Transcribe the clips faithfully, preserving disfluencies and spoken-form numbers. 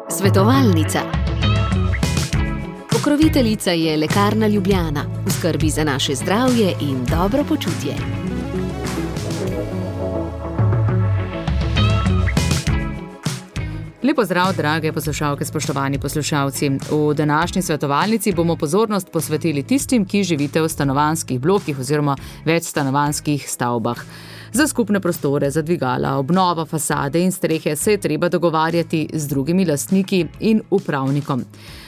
Svetovalnica. Pokroviteljica je Lekarna Ljubljana, v skrbi za naše zdravje in dobro počutje. Lepo zdrav, drage poslušalke, spoštovani poslušalci. V današnji svetovalnici bomo pozornost posvetili tistim, ki živite v stanovanjskih blokih oziroma večstanovanjskih stavbah. Za skupne prostore, za dvigala, obnova fasade in strehe se je treba dogovarjati z drugimi lastniki in upravnikom.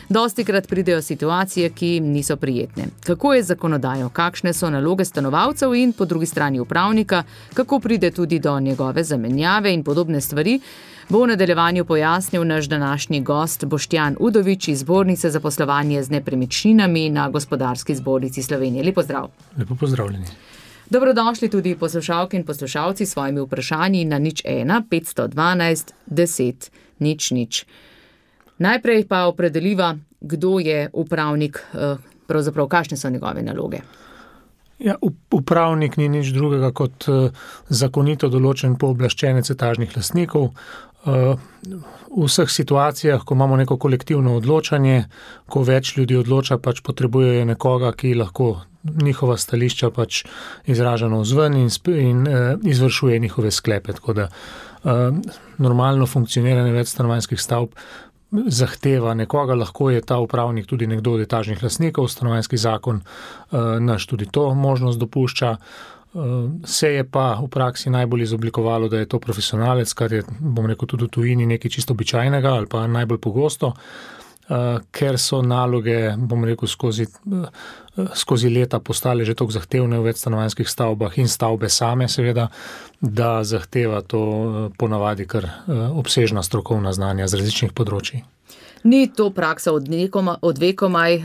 Dostikrat pridejo situacije, ki niso prijetne. Kako je z zakonodajo, kakšne so naloge stanovalcev in po drugi strani upravnika, kako pride tudi do njegove zamenjave in podobne stvari, bo v nadaljevanju pojasnil naš današnji gost Boštjan Udovič iz Zbornice za poslovanje z nepremičninami na Gospodarski zbornici Slovenije. Lepo zdrav. Lepo pozdravljeni. Dobrodošli tudi poslušalke in poslušalci s svojimi vprašanji na nič ena petsto dvanajst deset nič nič. Najprej pa opredeliva, kdo je upravnik, pravzaprav kakšne so njegove naloge. Ja, upravnik ni nič drugega kot zakonito določen pooblaščenec etažnih lastnikov. V vseh situacijah, ko imamo neko kolektivno odločanje, ko več ljudi odloča, pač potrebujejo nekoga, ki lahko njihova stališča pač izraža navzven in, in izvršuje njihove sklepe. Tako da normalno funkcioniranje večstanovanjskih stavb zahteva nekoga, lahko je ta upravnik tudi nekdo od etažnih lastnikov, stanovanjski zakon naš tudi to možnost dopušča. Se je pa v praksi najbolj izoblikovalo, da je to profesionalec, kar je, bom rekel, tudi v tujini nekaj čisto običajnega ali pa najbolj pogosto, ker so naloge, bom rekel, skozi, skozi leta postale že toliko zahtevne v večstanovanjskih stavbah in stavbe same seveda, da zahteva to ponavadi kar obsežna strokovna znanja z različnih področij. Ni to praksa od, nekoma, od vekomaj,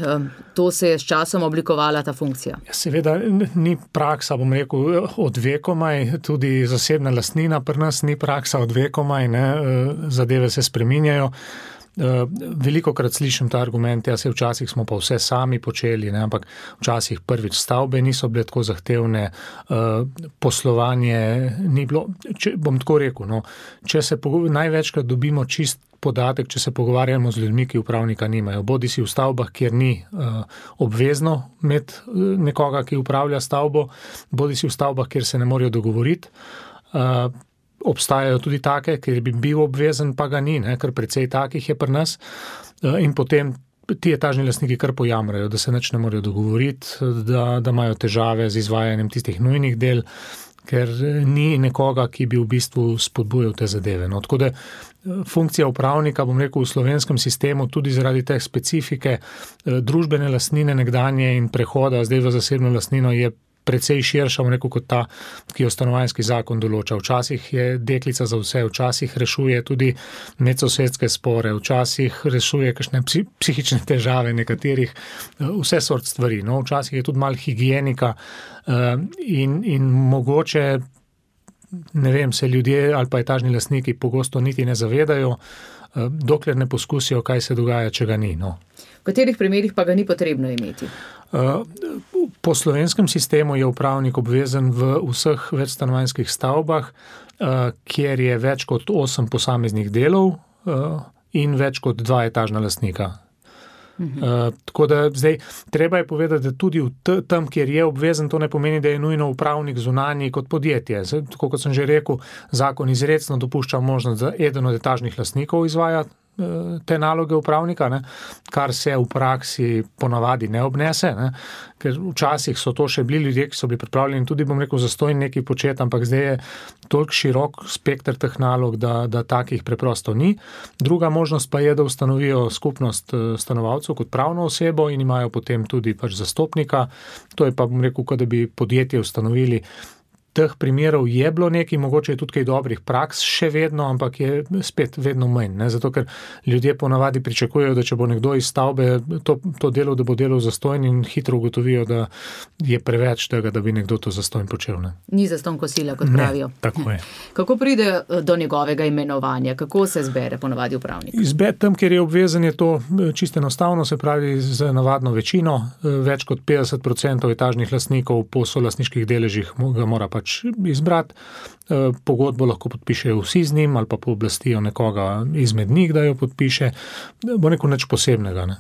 to se je s časom oblikovala ta funkcija? Ja, seveda ni praksa, bom rekel, od vekomaj, tudi zasebna lastnina pri nas ni praksa od vekomaj, ne, zadeve se spreminjajo. Veliko krat slišim ta argument, ja se včasih smo pa vse sami počeli, ne, ampak včasih prvič stavbe niso bile tako zahtevne, poslovanje ni bilo, če, bom tako rekel, no, če se pogovarjamo, največkrat dobimo čist podatek, če se pogovarjamo z ljudmi, ki upravnika nimajo. Bodi si v stavbah, kjer ni uh, obvezno imeti nekoga, ki upravlja stavbo, bodi si v stavbah, kjer se ne morejo dogovoriti. Uh, obstajajo tudi take, kjer bi bil obvezen, pa ga ni, ne, ker precej takih je pri nas. Uh, in potem ti etažni lastniki kar pojamrajo, da se nič ne morejo dogovoriti, da, da imajo težave z izvajanjem tistih nujnih del, ker ni nekoga, ki bi v bistvu spodbujal te zadeve. No, tako da funkcija upravnika, bom rekel, v slovenskem sistemu tudi zaradi te specifike družbene lastnine nekdanje in prehoda zdaj v zasebno lastnino je precej širša, bom rekel, kot ta, ki jo stanovanjski zakon določa. Včasih je deklica za vse, včasih rešuje tudi medsosedske spore, včasih rešuje kakšne psihične težave nekaterih, vse sort stvari. No, včasih je tudi malo higienika in, in mogoče, ne vem, se ljudje ali pa etažni lastniki pogosto niti ne zavedajo, dokler ne poskusijo, kaj se dogaja, če ga ni. No. V katerih primerih pa ga ni potrebno imeti? Po slovenskem sistemu je upravnik obvezen v vseh večstanovanjskih stavbah, kjer je več kot osem posameznih delov in več kot dva etažna lastnika. Mhm. Uh, tako da zdaj treba je povedati, da tudi v t- tam, kjer je obvezen, to ne pomeni, da je nujno upravnik zunanji kot podjetje. Zdaj, tako kot sem že rekel, zakon izrecno dopušča možnost, da eden od etažnih lastnikov izvaja te naloge upravnika, ne, kar se v praksi ponavadi ne obnese, ne, ker včasih so to še bili ljudje, ki so bili pripravljeni tudi, bom rekel, zastojni nekaj početi, ampak zdaj je toliko širok spekter teh nalog, da, da takih preprosto ni. Druga možnost pa je, da ustanovijo skupnost stanovalcev kot pravno osebo in imajo potem tudi pač zastopnika. To je pa, bom rekel, kot da bi podjetje ustanovili. Teh primerov je bilo nekaj, mogoče je tudi kaj dobrih praks še vedno, ampak je spet vedno manj, ne? Zato ker ljudje ponavadi pričakujejo, da če bo nekdo iz stavbe to, to delal, da bo delal zastojn in hitro ugotovijo, da je preveč tega, da bi nekdo to zastojn počel. Ne? Ni zastonj kosila, kot pravijo. Ne, tako je. Kako pride do njegovega imenovanja? Kako se zbere ponavadi upravnik? Izbed tam, kjer je obvezen, je to čisto enostavno, se pravi z navadno večino, več kot petdeset procentov etažnih lastnikov po solastniških deležih ga mora pač izbrati. pogodbo lahko podpišejo vsi z njim ali pa pooblastijo nekoga izmed njih, da jo podpiše, bo neko nič posebnega. Ne.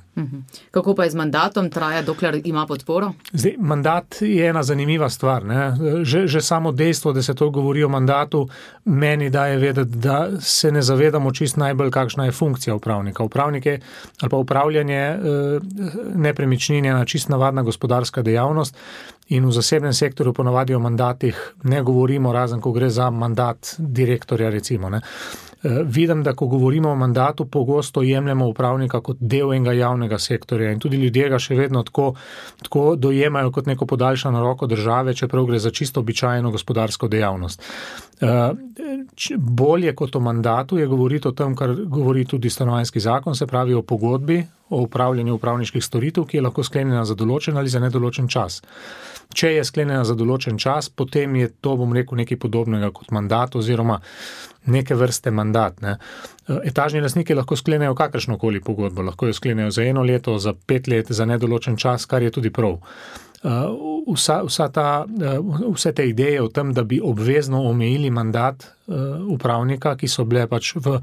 Kako pa je z mandatom, traja dokler ima podporo? Zdaj, mandat je ena zanimiva stvar. Ne. Že, že samo dejstvo, da se to govori o mandatu, meni daje vedeti, da se ne zavedamo čist najbolj, kakšna je funkcija upravnika. Upravnik je, ali pa upravljanje nepremičnin je ena čist navadna gospodarska dejavnost in v zasebnem sektorju ponavadi o mandatih ne govorimo, razen ko gre za mandat direktorja recimo. Ne. Vidim, da ko govorimo o mandatu, pogosto jemljemo upravnika kot del enega javnega sektorja in tudi ljudje ga še vedno tako, tako dojemajo kot neko podaljšano roko države, čeprav gre za čisto običajno gospodarsko dejavnost. Bolje kot o mandatu je govoriti o tem, kar govori tudi stanovanjski zakon, se pravi o pogodbi, o upravljanju upravniških storitev, ki je lahko sklenjena za določen ali za nedoločen čas. Če je sklenjena za določen čas, potem je to, bom rekel, nekaj podobnega kot mandat oziroma neke vrste mandat. Ne. Etažni lastniki lahko sklenejo kakršnokoli pogodbo, lahko jo sklenejo za eno leto, za pet let, za nedoločen čas, kar je tudi prav. Vsa, vsa ta, vse te ideje o tem, da bi obvezno omejili mandat upravnika, ki so bile pač v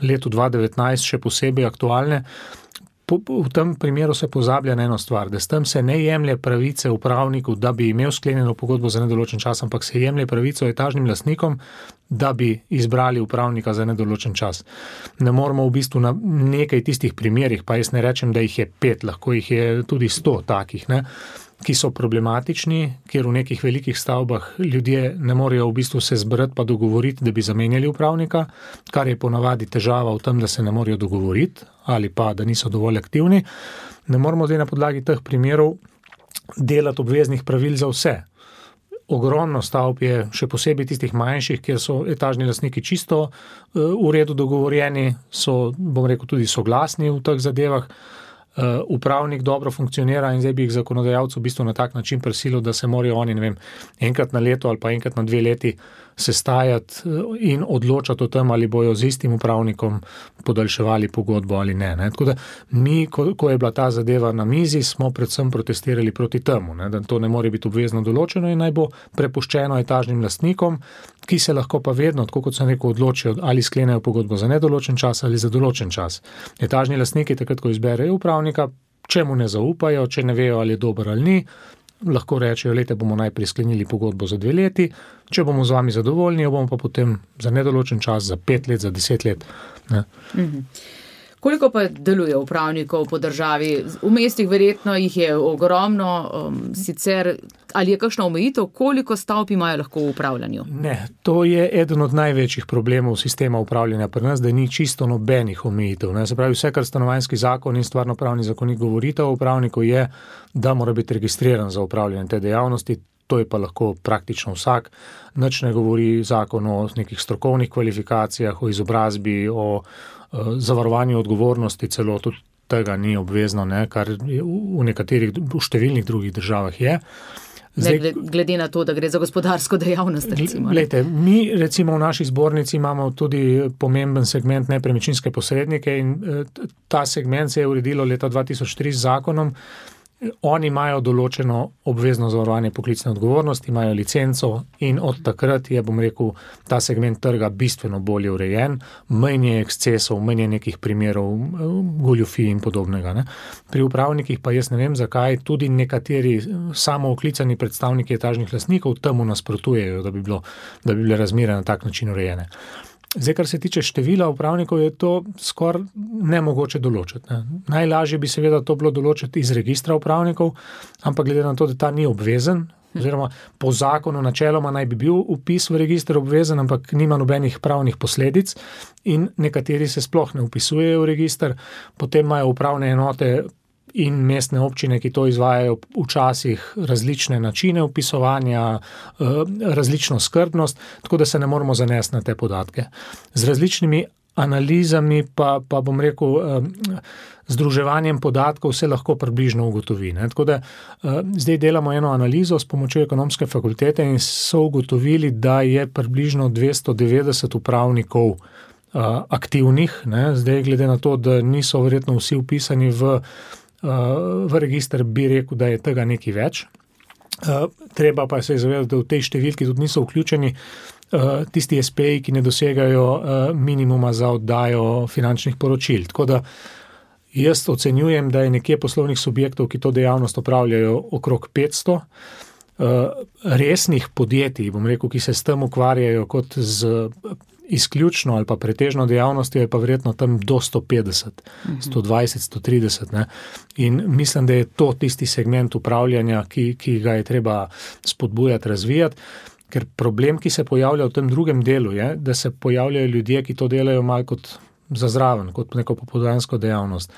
letu dva tisoč devetnajst še posebej aktualne, v tem primeru se pozablja na eno stvar, da s tem se ne jemlje pravice upravniku, da bi imel sklenjeno pogodbo za nedoločen čas, ampak se jemlje pravico etažnim lastnikom, da bi izbrali upravnika za nedoločen čas. Ne moramo v bistvu na nekaj tistih primerih, pa jaz ne rečem, da jih je pet, lahko jih je tudi sto takih, ne, ki so problematični, kjer v nekih velikih stavbah ljudje ne morejo v bistvu se zbrati pa dogovoriti, da bi zamenjali upravnika, kar je ponavadi težava v tem, da se ne morejo dogovoriti ali pa da niso dovolj aktivni. Ne moramo zdaj na podlagi teh primerov delati obveznih pravil za vse. Ogromno stavb je, še posebej tistih manjših, kjer so etažni lastniki čisto v redu dogovorjeni, so, bom rekel, tudi soglasni v teh zadevah. Uh, upravnik dobro funkcionira in zdaj bi jih zakonodajalcu v bistvu na tak način prisilil, da se morajo oni, ne vem, enkrat na leto ali pa enkrat na dve leti sestajati in odločati o tem, ali bojo z istim upravnikom podaljševali pogodbo ali ne. ne. Tako da mi, ko, ko je bila ta zadeva na mizi, smo predvsem protestirali proti temu, ne, da to ne more biti obvezno določeno in naj bo prepuščeno etažnim lastnikom, ki se lahko pa vedno, tako kot sem rekel, odločijo, ali sklenejo pogodbo za nedoločen čas ali za določen čas. Etažni lastniki takrat, ko izberejo upravnika, če mu ne zaupajo, če ne vejo, ali je dober ali ni, lahko rečejo, lete bomo najprej sklenili pogodbo za dve leti, če bomo z vami zadovoljni, jo bomo pa potem za nedoločen čas, za pet let, za deset let. Ne. Mhm. Koliko pa deluje upravnikov po državi? V mestih verjetno jih je ogromno, um, sicer ali je kakšna omejitev, koliko stavb imajo lahko v upravljanju? Ne, to je eden od največjih problemov sistema upravljanja pri nas, da ni čisto nobenih omejitev. Ne. Se pravi, vse, kar stanovanjski zakon in stvarnopravni zakonik govorita o upravniku, je, da mora biti registriran za upravljanje te dejavnosti. To je pa lahko praktično vsak. Nič ne govori zakon o nekih strokovnih kvalifikacijah, o izobrazbi, o zavarovanju odgovornosti, celo tudi tega ni obvezno, ne, kar v nekaterih, v številnih drugih državah je. Zdaj, ne, glede na to, da gre za gospodarsko dejavnost, recimo. Glejte, mi recimo v naši zbornici imamo tudi pomemben segment nepremičninske posrednike in ta segment se je uredilo leta dva tisoč tri z zakonom. Oni imajo določeno obvezno zavarovanje poklicne odgovornosti, imajo licenco in od takrat je, bom rekel, ta segment trga bistveno bolje urejen, manj je ekscesov, manj je nekih primerov goljufij in podobnega. Ne. Pri upravnikih pa jaz ne vem, zakaj tudi nekateri samooklicani predstavniki etažnih lastnikov temu nasprotujejo, da bi bilo, da bi bile razmere na tak način urejene. Zdaj, kar se tiče števila upravnikov, je to skoraj nemogoče določiti. Ne. Najlažje bi seveda to bilo določiti iz registra upravnikov, ampak glede na to, da ta ni obvezen, oziroma po zakonu načeloma naj bi bil vpis v register obvezen, ampak nima nobenih pravnih posledic in nekateri se sploh ne vpisujejo v register, potem imajo upravne enote in mestne občine, ki to izvajajo včasih različne načine vpisovanja, različno skrbnost, tako da se ne moramo zanesti na te podatke. Z različnimi analizami pa, pa bom rekel, združevanjem podatkov se lahko približno ugotovi. Ne. Tako da zdaj delamo eno analizo s pomočjo ekonomske fakultete in so ugotovili, da je približno dvesto devetdeset upravnikov aktivnih. Ne. Zdaj, glede na to, da niso verjetno vsi vpisani v v register, bi rekel, da je tega nekaj več. Treba pa se je zavedati, da v tej številki tudi niso vključeni tisti es pe ji, ki ne dosegajo minimuma za oddajo finančnih poročil. Tako da jaz ocenjujem, da je nekje poslovnih subjektov, ki to dejavnost opravljajo, okrog petsto. Resnih podjetij, bom rekel, ki se s tem ukvarjajo kot z izključno ali pa pretežno dejavnostjo, je pa verjetno tam do sto petdeset, sto dvajset, sto trideset. Ne? In mislim, da je to tisti segment upravljanja, ki, ki ga je treba spodbujati, razvijati, ker problem, ki se pojavlja v tem drugem delu, je, da se pojavljajo ljudje, ki to delajo malo kot za zraven, kot neko popoldansko dejavnost.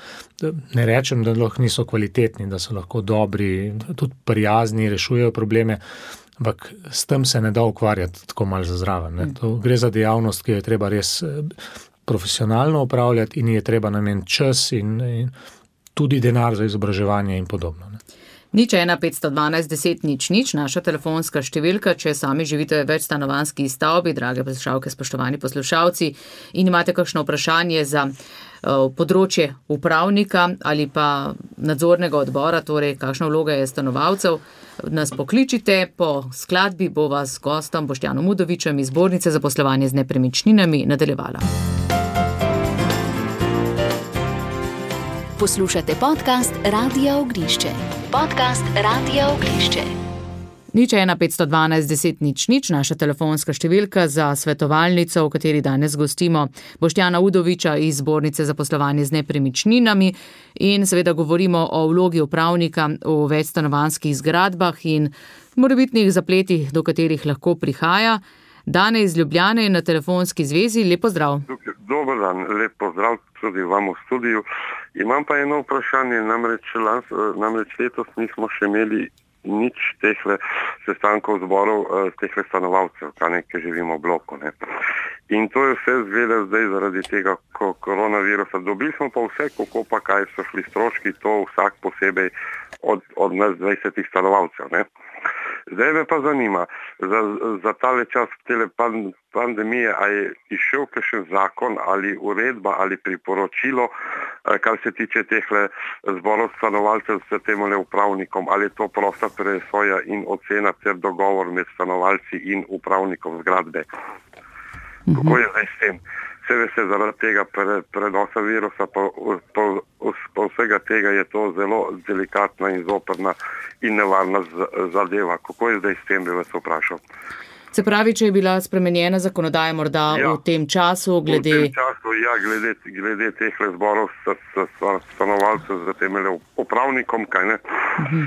Ne rečem, da lahko niso kvalitetni, da so lahko dobri, tudi prijazni, rešujejo probleme, ampak s tem se ne da ukvarjati tako malo za zraven. Ne. To gre za dejavnost, ki jo je treba res profesionalno upravljati in je treba nameniti čas in, in tudi denar za izobraževanje in podobno. Ne. Nič ena petsto dvanajst deset nič nič, naša telefonska številka, če sami živite v večstanovanjski stavbi, drage poslušalke, spoštovani poslušalci, in imate kakšno vprašanje za uh, področje upravnika ali pa nadzornega odbora, torej kakšna vloga je stanovalcev, nas pokličite, po skladbi bo vas gostom Boštjanom Udovičem iz Zbornice za poslovanje z nepremičninami nadaljevala. Poslušate podcast Radia Ognišče. Podcast Radia Ognišče. Nič ena petsto dvanajst deset nič nič, naša telefonska številka za svetovalnico, v kateri danes gostimo Boštjana Udoviča iz Zbornice za poslovanje z nepremičninami in seveda govorimo o vlogi upravnika v večstanovanjskih zgradbah in morebitnih zapletih, do katerih lahko prihaja. Dane iz Ljubljane na telefonski zvezi, lep pozdrav. Dober dan, lep pozdrav tudi vam v studiju. Imam pa eno vprašanje, namreč, namreč letos nismo še imeli nič tehle sestankov zborov, tehle stanovalcev, ki živimo v bloku. Ne. In to je vse zgleda zdaj zaradi tega koronavirusa. Dobili smo pa vse, kako pa kaj so šli stroški, to vsak posebej od, od nas dvajsetih stanovalcev. Ne. Zdaj me pa zanima, za, za tale čas tele pandemije, a je išel kakšen zakon ali uredba ali priporočilo, kar se tiče tehle zborov stanovalcev s temole upravnikom, ali je to prosta presoja in ocena ter dogovor med stanovalci in upravnikom zgradbe. Kako je zdaj s tem? Vse veste, zaradi tega pre, prenosa virusa, po, po, po vsega tega je to zelo delikatna in zoprna in nevarna zadeva. Kako je zdaj s tem, bi vas vprašal? Se pravi, če je bila spremenjena zakonodaja morda ja, v tem času, glede... V tem času, ja, glede, glede teh zborov s, s, s stanovalcev z temele upravnikom, kaj ne? Uh-huh.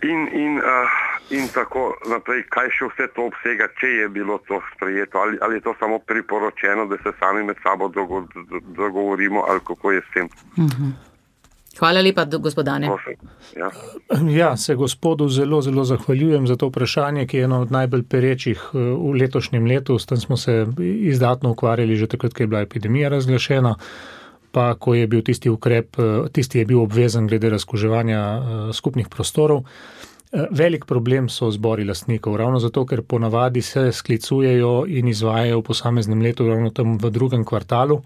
In, in, uh, in tako naprej, kaj še vse to obsega, če je bilo to sprejeto, ali, ali je to samo priporočeno, da se sami med sabo dogo, dogovorimo, ali kako je s tem. Uh-huh. Hvala lepa, gospodane. Ja. ja, se gospodu zelo, zelo zahvaljujem za to vprašanje, ki je eno od najbolj perečih v letošnjem letu. S tem smo se izdatno ukvarjali že takrat, ko je bila epidemija razglašena, pa ko je bil tisti ukrep, tisti je bil obvezen glede razkuževanja skupnih prostorov. Velik problem so zbori lastnikov, ravno zato, ker ponavadi se sklicujejo in izvajajo v posameznem letu ravno tam v drugem kvartalu.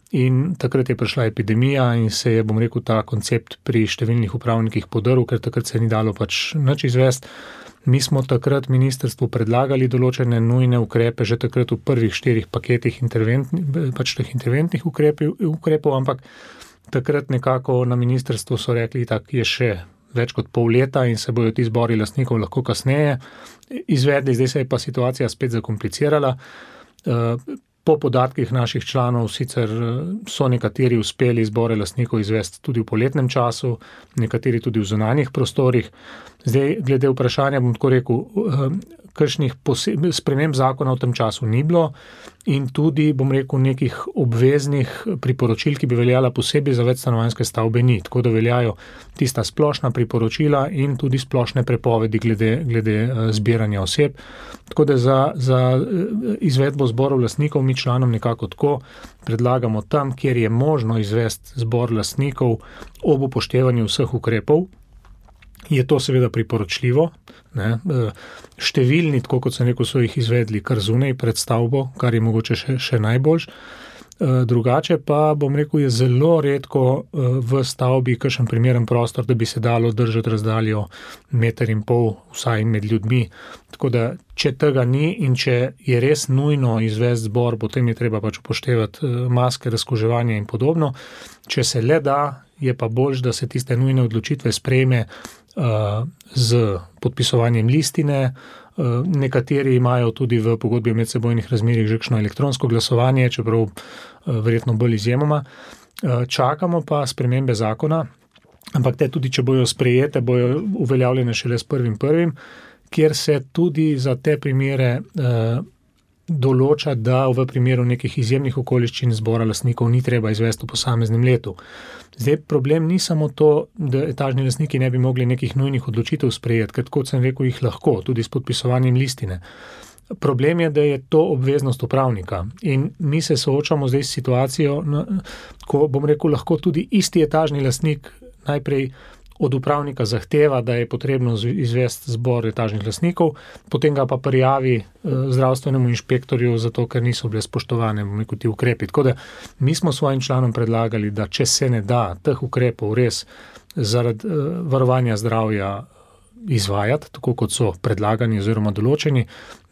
In takrat je prišla epidemija in se je, bom rekel, ta koncept pri številnih upravnikih podrl, ker takrat se ni dalo pač nič izvesti. Mi smo takrat ministrstvu predlagali določene nujne ukrepe, že takrat v prvih štirih paketih pač teh interventnih ukrepov, ukrepov, ampak takrat nekako na ministrstvu so rekli, tak je še več kot pol leta in se bojo ti zbori lastnikov lahko kasneje izvedli, zdaj se je pa situacija spet zakomplicirala. Po podatkih naših članov sicer so nekateri uspeli zbore lastnikov izvesti tudi v poletnem času, nekateri tudi v zunanjih prostorih. Zdaj, glede vprašanja, bom tako rekel, kakšnih sprememb zakona v tem času ni bilo in tudi, bom rekel, nekih obveznih priporočil, ki bi veljala posebej za večstanovanjske stavbe ni. Tako da veljajo tista splošna priporočila in tudi splošne prepovedi glede, glede zbiranja oseb. Tako da za, za izvedbo zborov lastnikov mi članom nekako tako predlagamo tam, kjer je možno izvesti zbor lastnikov ob upoštevanju vseh ukrepov. Je to seveda priporočljivo. Ne? Številni, tako kot sem rekel, so jih izvedli kar zunaj pred stavbo, kar je mogoče še, še najboljš. Drugače pa, bom rekel, je zelo redko v stavbi kakšen primeren prostor, da bi se dalo držati razdaljo meter in pol vsaj med ljudmi. Tako da, če tega ni in če je res nujno izvesti zbor, potem je treba pač upoštevati maske, razkuževanje in podobno. Če se le da, je pa boljš, da se tiste nujne odločitve sprejme uh, z podpisovanjem listine. Uh, nekateri imajo tudi v pogodbi o medsebojnih razmerjih že kakšno elektronsko glasovanje, čeprav uh, verjetno bolj izjemoma. Uh, čakamo pa spremembe zakona, ampak te tudi, če bojo sprejete, bojo uveljavljene šele s prvim prvim, kjer se tudi za te primere uh, določa, da v primeru nekih izjemnih okoliščin zbora lastnikov ni treba izvesti v posameznem letu. Zdaj, problem ni samo to, da etažni lastniki ne bi mogli nekih nujnih odločitev sprejeti, ker kot sem rekel, jih lahko, tudi s podpisovanjem listine. Problem je, da je to obveznost upravnika in mi se soočamo zdaj s situacijo, ko, bom rekel, lahko tudi isti etažni lastnik najprej od upravnika zahteva, da je potrebno izvesti zbor etažnih lastnikov, potem ga pa prijavi zdravstvenemu inšpektorju, zato ker niso bile spoštovane ti ukrepi. Tako da mi smo svojim članom predlagali, da če se ne da teh ukrepov res zaradi varovanja zdravja izvajati, tako kot so predlagani oziroma določeni,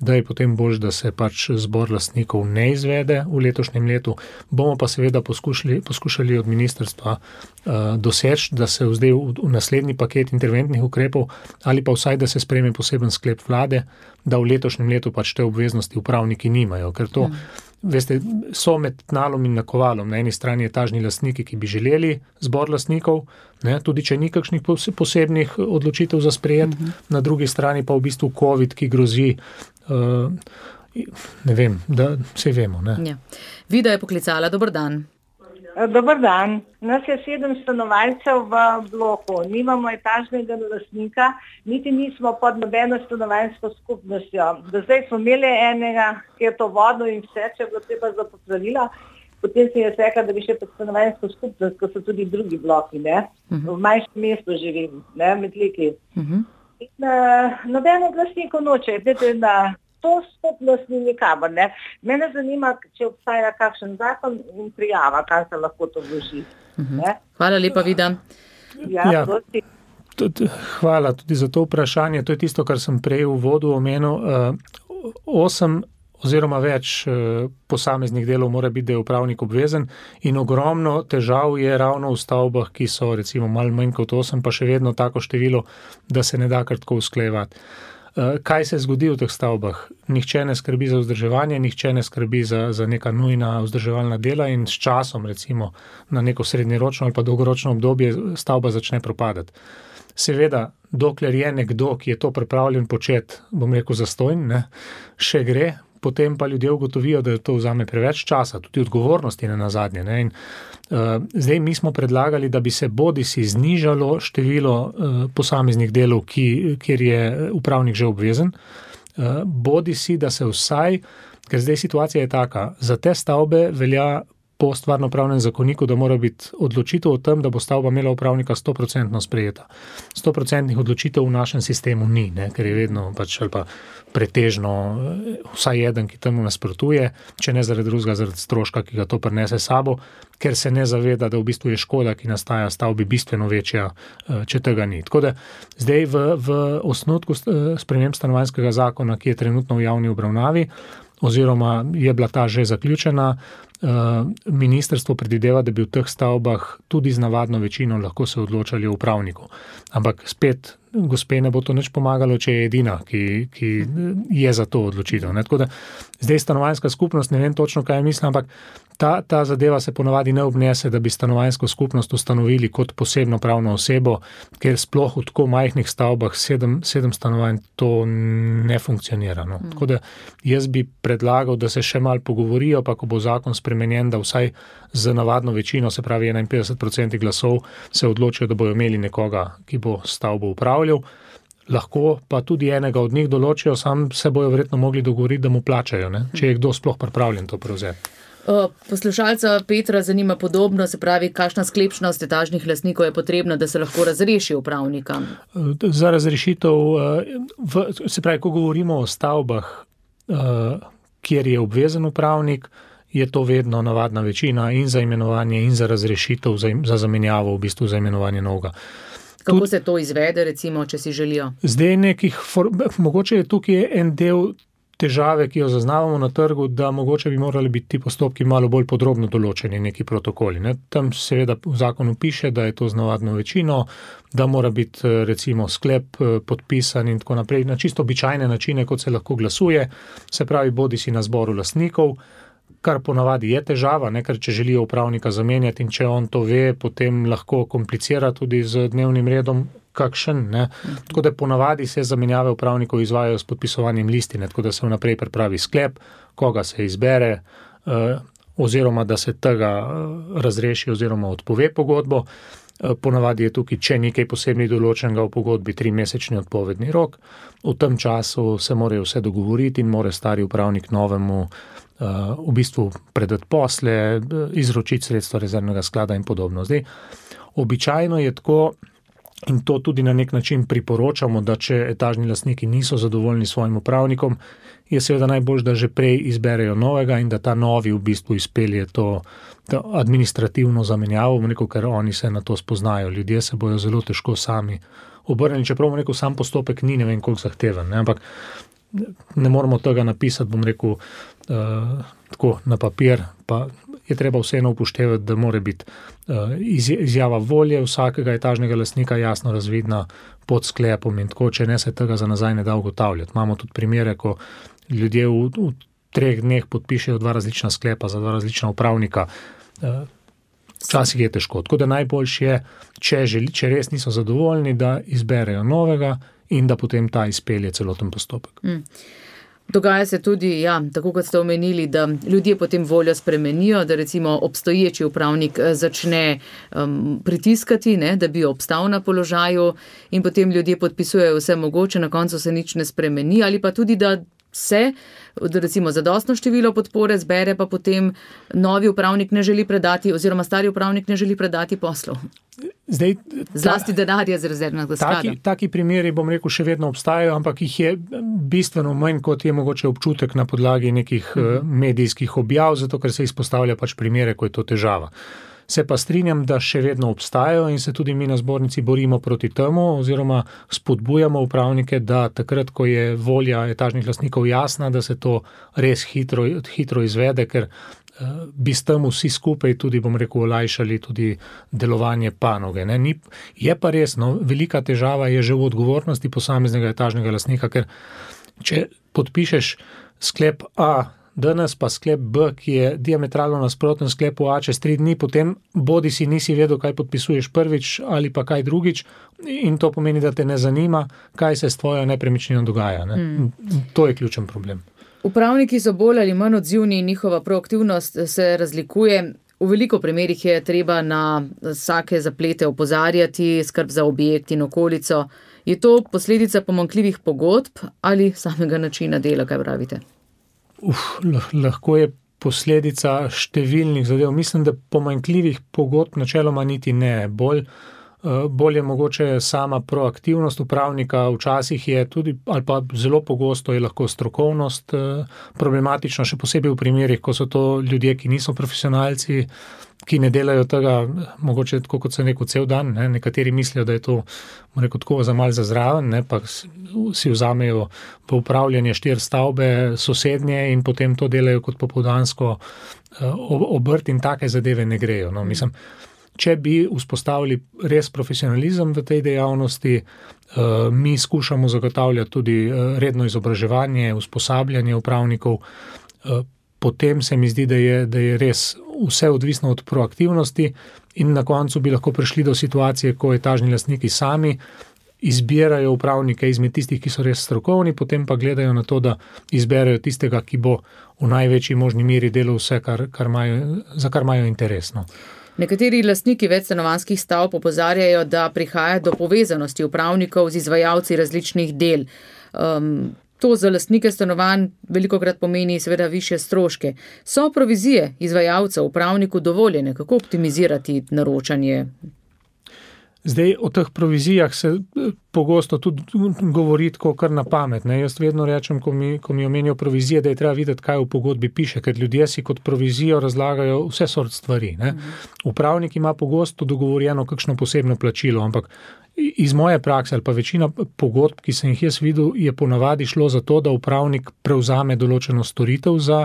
da je potem bolj, da se pač zbor lastnikov ne izvede v letošnjem letu. Bomo pa seveda poskušali, poskušali od ministrstva uh, doseči, da se zdaj v, v naslednji paket interventnih ukrepov ali pa vsaj, da se sprejme poseben sklep vlade, da v letošnjem letu pač te obveznosti upravniki nimajo, ker to hmm. Veste, so med tnalom in nakovalom. Na eni strani etažni lastniki, ki bi želeli zbor lastnikov, ne, tudi če ni kakšnih posebnih odločitev za sprejet, uh-huh. Na drugi strani pa v bistvu COVID, ki grozi, uh, ne vem, da vse vemo. Ne. Ja. Vida je poklicala, dober dan. Dobar dan. Nas je sedem stanovalcev v bloku. Nimamo etažnega lastnika, niti nismo pod nobeno stanovanjsko skupnostjo. Do zdaj smo imeli enega, ki je to vodo in vse, če je bilo treba za popravila. Potem se je rekla, da bi še pod stanovanjsko skupnost, ko so tudi drugi bloki, ne? Uh-huh. V manjšem mestu živim, ne, med Liki. Uh-huh. In uh, nobeno lastnikov noče, vedete, da to skupnost ni nikamor, ne. Mene zanima, če obstaja kakšen zakon in prijava, kaj se lahko to vloži. Uh-huh. Hvala lepa, Vida. Ja, ja. Tudi, hvala tudi za to vprašanje. To je tisto, kar sem prej v uvodu omenil. Uh, osem oziroma več uh, posameznih delov mora biti, da je upravnik obvezen in ogromno težav je ravno v stavbah, ki so recimo malo manj kot osem, pa še vedno tako število, da se ne da kar tako usklajevati. Kaj se zgodi v teh stavbah? Nihče ne skrbi za vzdrževanje, nihče ne skrbi za, za neka nujna vzdrževalna dela in s časom, recimo na neko srednjeročno ali pa dolgoročno obdobje, stavba začne propadati. Seveda, dokler je nekdo, ki je to pripravljen početi, bom rekel zastojn, ne, še gre, potem pa ljudje ugotovijo, da to vzame preveč časa, tudi odgovornosti ne nazadnje. Ne? In, uh, zdaj mi smo predlagali, da bi se bodisi znižalo število uh, posameznih delov, ki, kjer je upravnik že obvezen, uh, bodisi, da se vsaj, ker zdaj situacija je taka, za te stavbe velja po stvarnopravnem zakoniku, da mora biti odločitev o tem, da bo stavba imela upravnika sto procentno sprejeta. sto procentnih odločitev v našem sistemu ni, ne, ker je vedno pač ali pa pretežno vsaj eden, ki temu nasprotuje, če ne zaradi drugega, zaradi stroška, ki ga to prinese sabo, ker se ne zaveda, da v bistvu je škoda, ki nastaja stavbi bistveno večja, če tega ni. Tako da zdaj v, v osnutku sprememb stanovanjskega zakona, ki je trenutno v javni obravnavi, oziroma je bila ta že zaključena, ministrstvo predvideva, da bi v teh stavbah tudi z navadno večino lahko se odločali o upravniku. Ampak spet, gospe ne bo to nič pomagalo, če je edina, ki, ki je za to odločitev. Ne? Tako da zdaj stanovanjska skupnost, ne vem točno, kaj mislim, ampak ta, ta zadeva se ponavadi ne obnese, da bi stanovanjsko skupnost ustanovili kot posebno pravno osebo, ker sploh v tako majhnih stavbah sedem, sedem stanovanj to ne funkcionira. No? Tako da jaz bi predlagal, da se še malo pogovorijo, pa ko bo zakon spremenjen, da vsaj z navadno večino, se pravi enainpetdeset procentov glasov, se odločijo, da bojo imeli nekoga, ki bo stavbo upravljal. Lahko pa tudi enega od njih določijo, sam se bojo verjetno mogli dogovoriti, da mu plačajo, ne? Če je kdo sploh pripravljen to prevzeti. Poslušalca Petra zanima podobno, se pravi, kakšna sklepčnost etažnih lastnikov je potrebna, da se lahko razreši upravnika? Za razrešitev, v, se pravi, ko govorimo o stavbah, kjer je obvezen upravnik, je to vedno navadna večina in za imenovanje in za razrešitev, za, za zamenjavo, v bistvu za imenovanje novega. Kako Tud, se to izvede, recimo, če si želijo? Zdaj nekih, for, mogoče je tukaj en del težave, ki jo zaznavamo na trgu, da mogoče bi morali biti ti postopki malo bolj podrobno določeni, neki protokoli. Ne? Tam seveda v zakonu piše, da je to z navadno večino, da mora biti recimo sklep podpisan in tako naprej, na čisto običajne načine, kot se lahko glasuje, se pravi bodi si na zboru lastnikov, kar ponavadi je težava, ne? Ker če želijo upravnika zamenjati in če on to ve, potem lahko komplicira tudi z dnevnim redom kakšen, ne. Tako da ponavadi se zamenjave upravnikov izvajajo s podpisovanjem listine, tako da se vnaprej pripravi sklep, koga se izbere, eh, oziroma da se tega razreši oziroma odpove pogodbo. Eh, ponavadi je tukaj, če nekaj posebnih določenega v pogodbi, trimesečni odpovedni rok. V tem času se morajo vse dogovoriti in mora stari upravnik novemu eh, v bistvu predati posle, izročiti sredstva rezervnega sklada in podobno. Zdaj, običajno je tako, in to tudi na nek način priporočamo, da če etažni lastniki niso zadovoljni s svojim upravnikom, je seveda najbolj, da že prej izberejo novega in da ta novi v bistvu izpelje to, to administrativno zamenjavo, rekel, ker oni se na to spoznajo. Ljudje se bojo zelo težko sami obrnili, čeprav rekel, sam postopek ni ne vem koliko zahteven, ne? Ampak ne moramo tega napisati, bom rekel, uh, tako na papir, pa je treba vseeno upoštevati, da mora biti uh, izjava volje vsakega etažnega lastnika jasno razvidna pod sklepom in tako, če ne se tega za nazaj ne da ugotavljati. Imamo tudi primere, ko ljudje v, v treh dneh podpišejo dva različna sklepa za dva različna upravnika. Uh, včasih je težko. Tako da najboljše je, če, želi, če res niso zadovoljni, da izberejo novega in da potem ta izpelje celoten postopek. Mm. Dogaja se tudi, ja, tako kot ste omenili, da ljudje potem voljo spremenijo, da recimo obstoječi upravnik začne um, pritiskati, ne, da bi obstal na položaju in potem ljudje podpisujejo vse mogoče, na koncu se nič ne spremeni, ali pa tudi, da se, da recimo zadostno število podpore zbere, pa potem novi upravnik ne želi predati oziroma stari upravnik ne želi predati poslov. Zdaj, ta, Zlasti denarja z rezervnega sklada. Taki, taki primeri, bom rekel, še vedno obstajajo, ampak jih je bistveno manj, kot je mogoče občutek na podlagi nekih uh, medijskih objav, zato ker se izpostavlja pač primere, ko je to težava. Se pa strinjam, da še vedno obstajajo in se tudi mi na zbornici borimo proti temu oziroma spodbujamo upravnike, da takrat, ko je volja etažnih lastnikov jasna, da se to res hitro, hitro izvede, ker uh, bi s tem vsi skupaj tudi, bom rekel, olajšali tudi delovanje panoge. Ne? Ni, je pa res, no, velika težava je že v odgovornosti posameznega etažnega lastnika, ker če podpišeš sklep A, danes pa sklep B, ki je diametralno nasproten sklepu A čez tri dni, potem bodi si nisi vedel, kaj podpisuješ prvič ali pa kaj drugič in to pomeni, da te ne zanima, kaj se s tvojo nepremičnino dogaja. Ne? Mm. To je ključen problem. Upravniki so bolj ali manj odzivni in njihova proaktivnost se razlikuje. V veliko primerih je treba na vsake zaplete opozarjati, skrb za objekt in okolico. Je to posledica pomanjkljivih pogodb ali samega načina dela, kaj pravite? Uf, lahko je posledica številnih zadev. Mislim, da pomanjkljivih pogodb načeloma niti ne. Bolj, bolj je mogoče sama proaktivnost upravnika, včasih je tudi, ali pa zelo pogosto je lahko strokovnost problematična, še posebej v primerih, ko so to ljudje, ki niso profesionalci, ki ne delajo tega, mogoče tako kot sem rekel, cel dan. Ne? Nekateri mislijo, da je to rekel, tako za mal za zraven, ne? Pa si vzamejo po upravljanje štiri stavbe sosednje in potem to delajo kot popoldansko obrt in take zadeve ne grejo. No? Mislim, če bi vzpostavili res profesionalizem v tej dejavnosti, mi skušamo zagotavljati tudi redno izobraževanje, usposabljanje upravnikov, potem se mi zdi, da je, da je res vse odvisno od proaktivnosti in na koncu bi lahko prišli do situacije, ko etažni lastniki sami izbirajo upravnike izmed tistih, ki so res strokovni, potem pa gledajo na to, da izberajo tistega, ki bo v največji možni meri delal vse, kar, kar imajo, za kar imajo interesno. Nekateri lastniki večstanovanjskih stavb opozarjajo, da prihaja do povezanosti upravnikov z izvajalci različnih del. Um, To za lastnike stanovanj velikokrat pomeni seveda višje stroške. So provizije izvajalcev upravniku dovoljene? Kako optimizirati naročanje? Zdaj, o teh provizijah se pogosto tudi govoriti ko kar na pamet. Ne. Jaz vedno rečem, ko mi, ko mi omenijo provizije, da je treba videti, kaj v pogodbi piše, ker ljudje si kot provizijo razlagajo vse sort stvari. Ne. Upravnik ima pogosto dogovorjeno kakšno posebno plačilo, ampak iz moje prakse ali pa večina pogodb, ki sem jih jaz videl, je ponavadi šlo za to, da upravnik prevzame določeno storitev za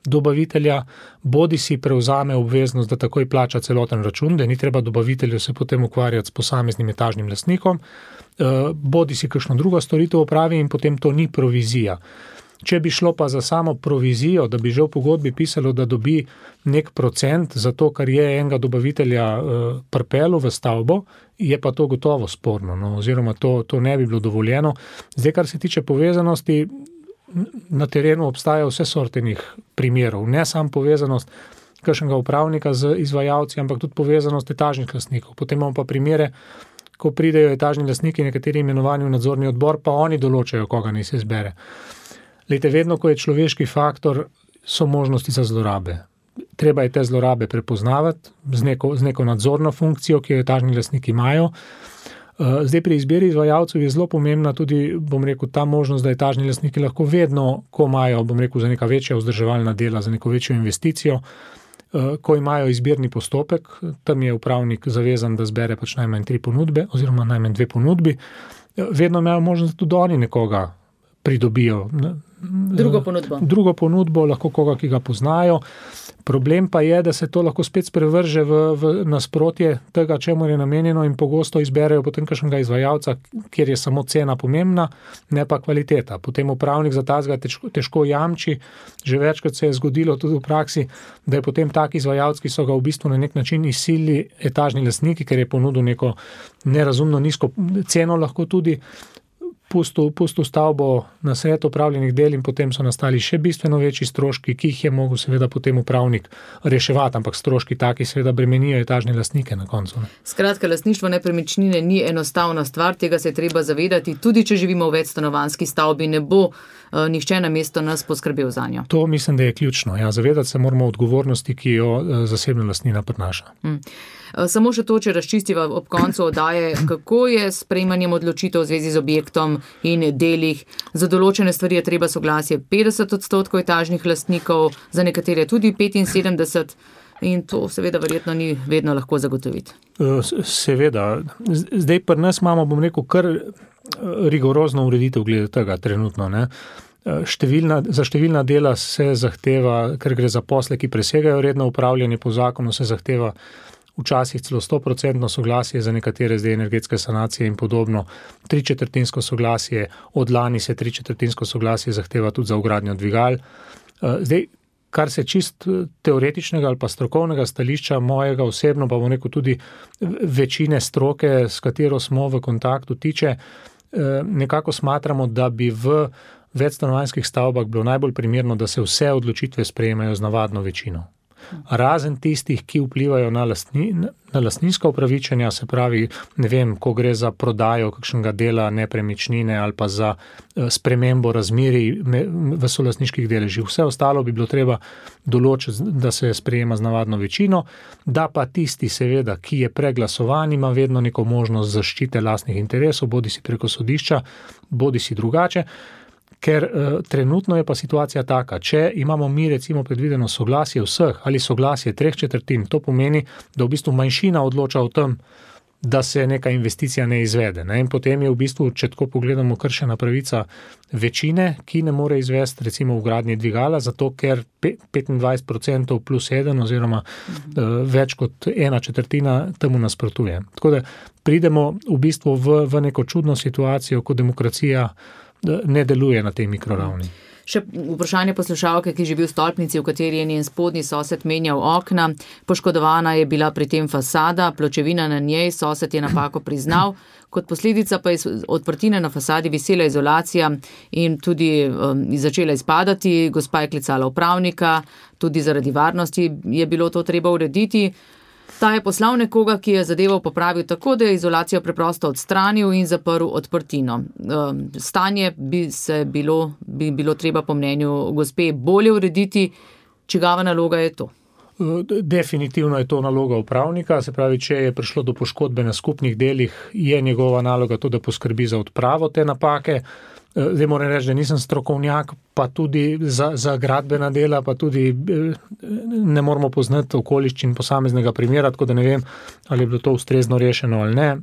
dobavitelja, bodi si prevzame obveznost, da takoj plača celoten račun, da ni treba dobavitelju se potem ukvarjati s posameznim etažnim lastnikom, bodi si kakšno drugo storitev opravi in potem to ni provizija. Če bi šlo pa za samo provizijo, da bi že v pogodbi pisalo, da dobi nek procent za to, kar je enega dobavitelja pripelo v stavbo, je pa to gotovo sporno, no, oziroma to, to ne bi bilo dovoljeno. Zdaj, kar se tiče povezanosti, na terenu obstaja vse sortenih primerov, ne samo povezanost kakšnega upravnika z izvajalci, ampak tudi povezanost etažnih lastnikov. Potem imamo pa primere, ko pridejo etažni lastniki, nekateri imenovani v nadzorni odbor, pa oni določajo, koga naj se izbere. Lejte, vedno, ko je človeški faktor, so možnosti za zlorabe. Treba je te zlorabe prepoznavati z neko, z neko nadzorno funkcijo, ki jo etažni lastniki imajo. Zdaj pri izbiri izvajalcev je zelo pomembna tudi, bom rekel, ta možnost, da etažni lastniki lahko vedno, ko imajo, bom rekel, za neka večja vzdrževalna dela, za neko večjo investicijo, ko imajo izbirni postopek, tam je upravnik zavezan, da zbere pač najmanj tri ponudbe oziroma najmanj dve ponudbi, vedno imajo možnost, da tudi oni nekoga pridobijo. Drugo ponudbo. Drugo ponudbo, lahko koga, ki ga poznajo. Problem pa je, da se to lahko spet sprevrže v, v nasprotje tega, čemu je namenjeno in pogosto izberejo potem kakšnega izvajalca, kjer je samo cena pomembna, ne pa kvaliteta. Potem upravnik za tazga težko, težko jamči, že večkrat se je zgodilo tudi v praksi, da je potem tak izvajalec, ki so ga v bistvu na nek način izsilili etažni lastniki, ker je ponudil neko nerazumno nizko ceno lahko tudi, Pustil, pustil stavbo na sred opravljenih del in potem so nastali še bistveno večji stroški, ki jih je mogel seveda potem upravnik reševati, ampak stroški taki seveda bremenijo etažne lastnike na koncu. Ne. Skratka, lastništvo nepremičnine ni enostavna stvar, tega se je treba zavedati, tudi če živimo v večstanovanjski stavbi, ne bo uh, nihče na mesto nas poskrbel za njo. To mislim, da je ključno. Ja, zavedati se moramo odgovornosti, ki jo uh, zasebna lastnina prinaša. Hmm. Samo še to, če razčistiva ob koncu oddaje, kako je s sprejemanjem odločitev v zvezi z objektom in delih. Za določene stvari je treba soglasje petdeset odstotkov etažnih lastnikov, za nekatere tudi petinsedemdeset in to seveda verjetno ni vedno lahko zagotoviti. Seveda. Zdaj pri nas imamo, bom rekel, kar rigorozno ureditev glede tega trenutno, ne. Številna, za številna dela se zahteva, ker gre za posle, ki presegajo redno upravljanje po zakonu, se zahteva včasih celo sto procentno soglasje, za nekatere zdaj energetske sanacije in podobno, tri četrtinsko soglasje, od lani se tri četrtinsko soglasje zahteva tudi za vgradnjo dvigal. Zdaj, kar se čist teoretičnega ali pa strokovnega stališča mojega osebno, pa bom rekel tudi večine stroke, s katero smo v kontaktu tiče, nekako smatramo, da bi v večstanovanjskih stavbah bilo najbolj primerno, da se vse odločitve sprejemajo z navadno večino. Razen tistih, ki vplivajo na, lastni, na lastninska upravičenja, se pravi, ne vem, ko gre za prodajo kakšnega dela nepremičnine ali pa za spremembo razmerij v solastniških deležih. Vse ostalo bi bilo treba določiti, da se sprejema z navadno večino, da pa tisti seveda, ki je preglasovan, ima vedno neko možnost zaščite lastnih interesov, bodi si preko sodišča, bodi si drugače. Ker uh, trenutno je pa situacija taka, če imamo mi recimo predvideno soglasje vseh ali soglasje treh četrtin, to pomeni, da v bistvu manjšina odloča o tem, da se neka investicija ne izvede. Ne? In potem je v bistvu, če tako pogledamo, kršena pravica večine, ki ne more izvesti recimo vgradnje dvigala, zato ker petindvajset procentov plus eden oziroma uh, več kot ena četrtina temu nasprotuje. Tako da pridemo v bistvu v, v neko čudno situacijo, ko demokracija ne deluje na tej mikroravni. Še vprašanje poslušalke, ki živi v stolpnici, v kateri je njen spodnji sosed menjal okna. Poškodovana je bila pri tem fasada, pločevina na njej, sosed je napako priznal. Kot posledica pa je odprtine na fasadi visela izolacija in tudi um, začela izpadati. Gospa je klicala upravnika, tudi zaradi varnosti je bilo to treba urediti. Ta je poslal nekoga, ki je zadevo popravil tako, da je izolacijo preprosto odstranil in zaprl odprtino. Stanje bi se bilo, bi bilo treba po mnenju gospe bolje urediti. Čigava naloga je to? Definitivno je to naloga upravnika, se pravi, če je prišlo do poškodbe na skupnih delih, je njegova naloga to, da poskrbi za odpravo te napake. Zdaj moram reči, da nisem strokovnjak, pa tudi za, za gradbena dela, pa tudi ne moramo poznati okoliščin posameznega primera, tako da ne vem, ali je bilo to ustrezno rešeno ali ne.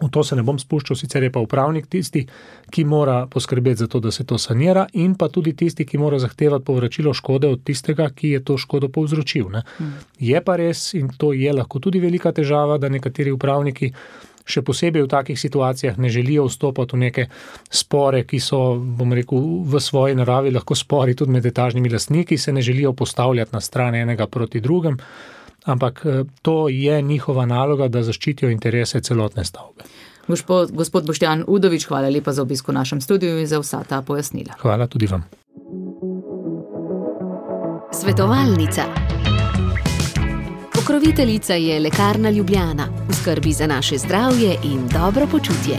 V to se ne bom spuščal, sicer je pa upravnik tisti, ki mora poskrbeti za to, da se to sanira, in pa tudi tisti, ki mora zahtevati povračilo škode od tistega, ki je to škodo povzročil. Ne. Mm. Je pa res, in to je lahko tudi velika težava, da nekateri upravniki še posebej v takih situacijah ne želijo vstopati v neke spore, ki so, bom rekel, v svoji naravi lahko spori tudi med etažnimi lastniki, se ne želijo postavljati na stran enega proti drugem, ampak to je njihova naloga, da zaščitijo interese celotne stavbe. Gospod, gospod Boštjan Udovič, hvala lepa za obisk v našem studiu in za vsa ta pojasnila. Hvala tudi vam. Svetovalnica. Pokroviteljica je Lekarna Ljubljana, v skrbi za naše zdravje in dobro počutje.